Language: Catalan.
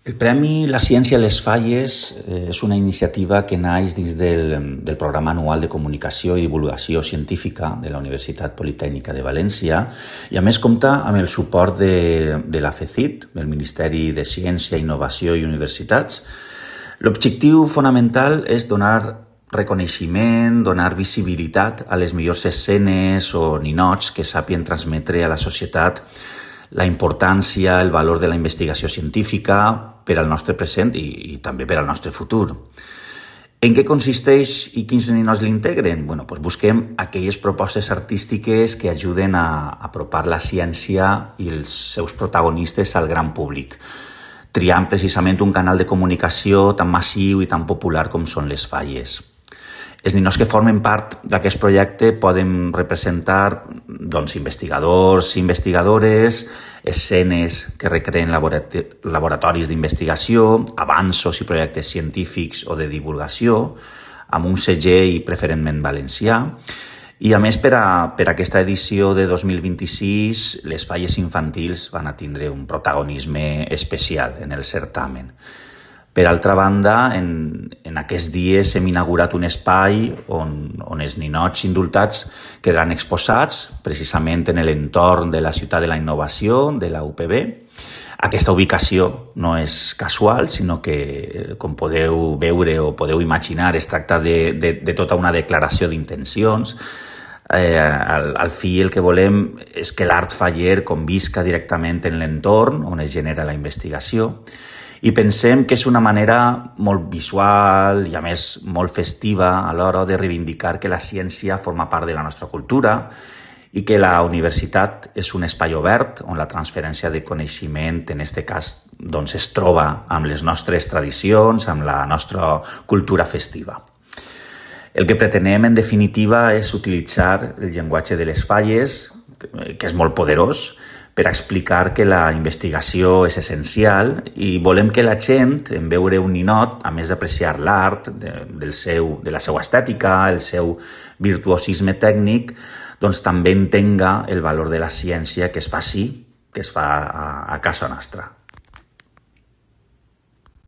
El Premi La Ciència a les Falles és una iniciativa que naix dins del Programa Anual de Comunicació i Divulgació Científica de la Universitat Politècnica de València i a més compta amb el suport de la FECIT, del Ministeri de Ciència, Innovació i Universitats. L'objectiu fonamental és donar reconeixement, donar visibilitat a les millors escenes o ninots que sàpien transmetre a la societat la importància, el valor de la investigació científica per al nostre present i també per al nostre futur. En què consisteix i quins ninots l'integren? Doncs busquem aquelles propostes artístiques que ajuden a apropar la ciència i els seus protagonistes al gran públic, triant precisament un canal de comunicació tan massiu i tan popular com són les falles. Els ninots que formen part d'aquest projecte poden representar investigadors i investigadores, escenes que recreen laboratoris d'investigació, avanços i projectes científics o de divulgació, amb un segell preferentment valencià. I a més, per aquesta edició de 2026, les falles infantils van a tindre un protagonisme especial en el certamen. Per altra banda, en aquests dies hem inaugurat un espai on els ninots indultats quedaran exposats precisament en l'entorn de la Ciutat de la Innovació, de la UPB. Aquesta ubicació no és casual, sinó que, com podeu veure o podeu imaginar, es tracta de tota una declaració d'intencions. Al fi el que volem és que l'art faller convisca directament en l'entorn on es genera la investigació. I pensem que és una manera molt visual i a més molt festiva a l'hora de reivindicar que la ciència forma part de la nostra cultura i que la universitat és un espai obert on la transferència de coneixement, en aquest cas, es troba amb les nostres tradicions, amb la nostra cultura festiva. El que pretenem, en definitiva, és utilitzar el llenguatge de les falles, que és molt poderós, per explicar que la investigació és essencial i volem que la gent, en veure un ninot, a més d'apreciar l'art, de la seva estètica, el seu virtuosisme tècnic, també entenga el valor de la ciència que es fa a casa nostra.